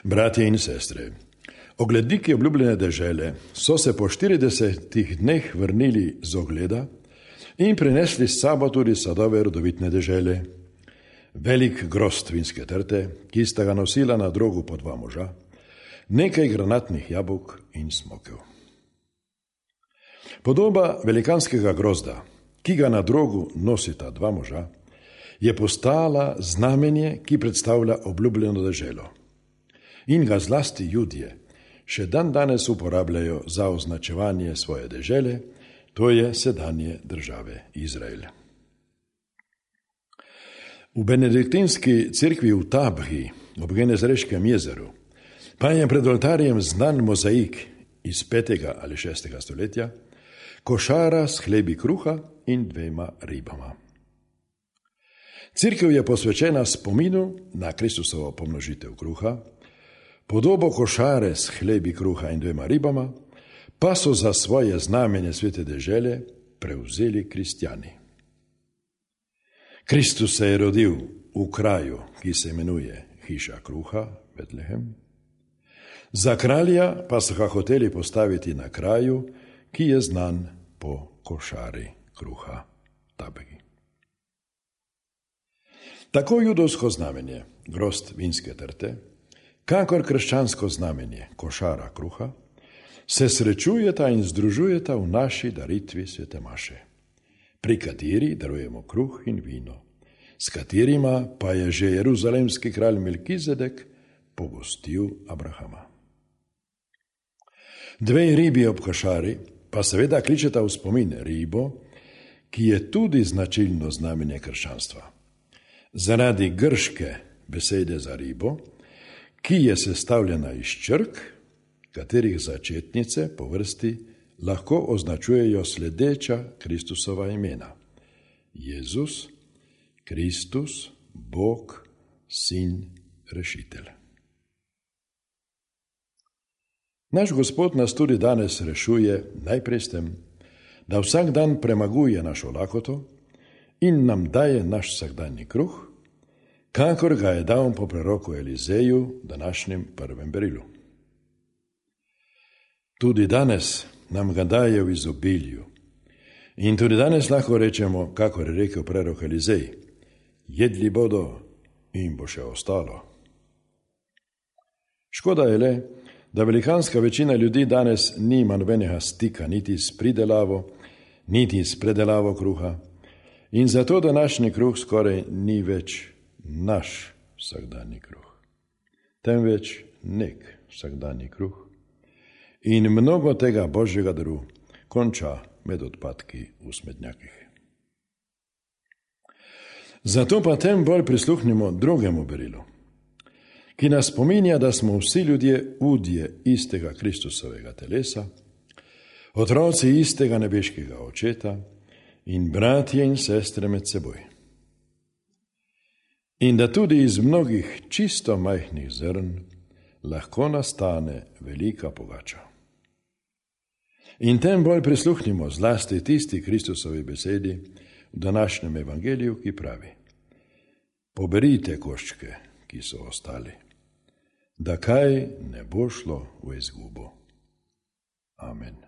Bratje in sestre, ogledniki obljubljene dežele so se po 40 dneh vrnili z ogleda in prinesli s sabo tudi sadove rodovitne dežele, velik grozd vinske trte, ki sta ga nosila na drogu po 2 moža, nekaj granatnih jabolk in smokev. Podoba velikanskega grozda, ki ga na drogu nosita 2 moža, je postala znamenje, ki predstavlja obljubljeno deželo. In ga zlasti Judje še dan danes uporabljajo za označevanje svoje dežele, to je sedanje države Izrael. V benediktinski cerkvi v Tabhi ob Genezareškem jezeru pa je pred oltarjem znan mozaik iz 5. ali 6. stoletja, košara s hlebi kruha in 2 ribama. Cerkev je posvečena spominu na Kristusovo pomnožitev kruha, podobo košare s hlebi kruha in 2 ribama pa so za svoje znamenje svete dežele prevzeli kristjani. Kristus se je rodil v kraju, ki se imenuje hiša kruha, Betlehem. Za kralja pa so ga hoteli postaviti na kraju, ki je znan po košari kruha, Tabhi. Tako judovsko znamenje, grozd vinske trte, kakor krščansko znamenje, košara kruha, se srečujeta in združujeta v naši daritvi svete maše, pri kateri darujemo kruh in vino, s katerima pa je že jeruzalemski kralj Melkizedek pogostil Abrahama. 2 ribi ob košari pa seveda kličeta v spomin ribo, ki je tudi značilno znamenje krščanstva. Zaradi grške besede za ribo, ki je sestavljena iz črk, katerih začetnice po vrsti lahko označujejo sledeča Kristusova imena: Jezus, Kristus, Bog, Sin, Rešitelj. Naš Gospod nas tudi danes rešuje najprej s tem, da vsak dan premaguje našo lakoto in nam daje naš vsakdanji kruh, kakor ga je dal po preroku Elizeju, današnjem prvem berilu. Tudi danes nam ga daje v izobilju. In tudi danes lahko rečemo, kakor je rekel prerok Elizej: jedli bodo in bo še ostalo. Škoda je le, da velikanska večina ljudi danes nima nobenega stika niti s pridelavo, niti s predelavo kruha, in zato današnji kruh skoraj ni več naš vsakdanji kruh, temveč nek vsakdanji kruh. In mnogo tega božjega daru konča med odpadki v smednjakih. Zato pa tem bolj prisluhnimo drugemu berilu, ki nas spominja, da smo vsi ljudje udje istega Kristusovega telesa, otroci istega nebeškega očeta in bratje in sestre med seboj. In da tudi iz mnogih čisto majhnih zrn lahko nastane velika pogača. In tem bolj prisluhnimo zlasti tisti Kristusovi besedi v današnjem evangeliju, ki pravi: poberite koščke, ki so ostali, da kaj ne bo šlo v izgubo. Amen.